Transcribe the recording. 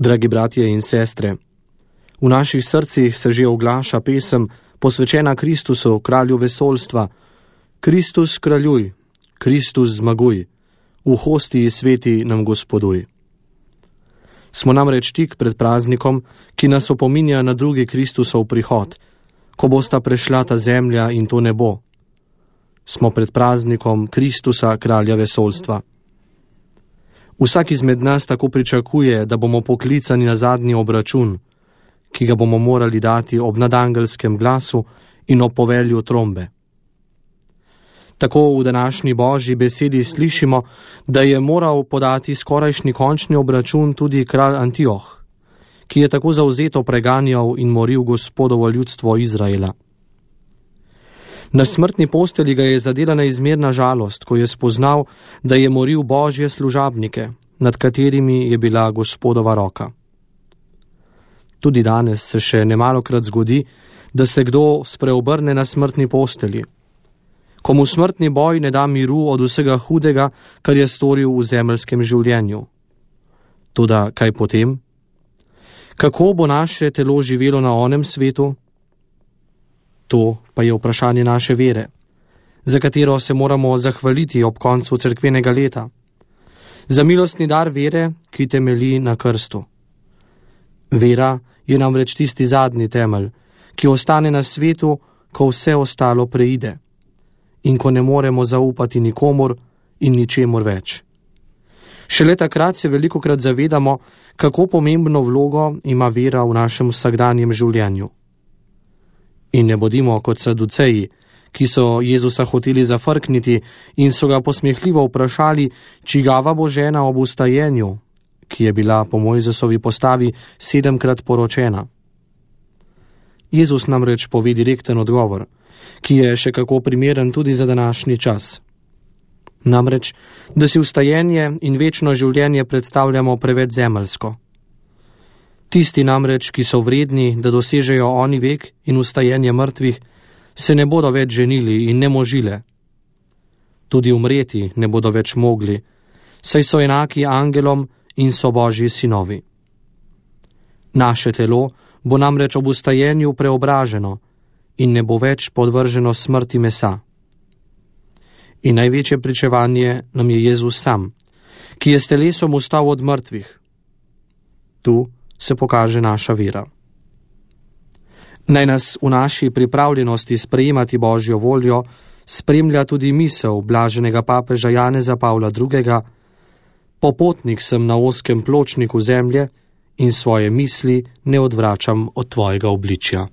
Dragi bratje in sestre, v naših srcih se že oglaša pesem, posvečena Kristusu, kralju vesoljstva. Kristus kraljuj, Kristus zmaguj, v hostiji sveti nam Gospoduj. Smo namreč tik pred praznikom, ki nas opominja na drugi Kristusov prihod, ko bosta prešla ta zemlja in to nebo. Smo pred praznikom Kristusa, kralja vesoljstva. Vsak izmed nas tako pričakuje, da bomo poklicani na zadnji obračun, ki ga bomo morali dati ob nadangelskem glasu in ob povelju trombe. Tako v današnji Božji besedi slišimo, da je moral podati skorajšnji končni obračun tudi kralj Antioh, ki je tako zavzeto preganjal in moril Gospodovo ljudstvo Izraela. Na smrtni postelji ga je zadela neizmerna žalost, ko je spoznal, da je moril Božje služabnike, nad katerimi je bila Gospodova roka. Tudi danes se še nemalokrat zgodi, da se kdo spreobrne na smrtni postelji, ko mu smrtni boj ne da miru od vsega hudega, kar je storil v zemeljskem življenju. Toda kaj potem? Kako bo naše telo živelo na onem svetu? To pa je vprašanje naše vere, za katero se moramo zahvaliti ob koncu cerkvenega leta. Za milostni dar vere, ki temelji na krstu. Vera je namreč tisti zadnji temelj, ki ostane na svetu, ko vse ostalo preide in ko ne moremo zaupati nikomur in ničemur več. Šele takrat se velikokrat zavedamo, kako pomembno vlogo ima vera v našem vsakdanjem življenju. In ne bodimo kot saduceji, ki so Jezusa hoteli zafrkniti in so ga posmehljivo vprašali, čigava bo žena ob vstajenju, ki je bila po Mojzesovi postavi 7-krat poročena. Jezus namreč pove direkten odgovor, ki je še kako primeren tudi za današnji čas. Namreč, da si vstajenje in večno življenje predstavljamo preveč zemeljsko. Tisti namreč, ki so vredni, da dosežejo oni vek in vstajenje mrtvih, se ne bodo več ženili in ne možile. Tudi umreti ne bodo več mogli, saj so enaki angelom in so Božji sinovi. Naše telo bo namreč ob vstajenju preobraženo in ne bo več podvrženo smrti mesa. In največje pričevanje nam je Jezus sam, ki je s telesom vstal od mrtvih. Tu se pokaže naša vera. Naj nas v naši pripravljenosti sprejemati Božjo voljo spremlja tudi misel blaženega papeža Janeza Pavla II. Popotnik sem na ozkem pločniku zemlje in svoje misli ne odvračam od tvojega obličja.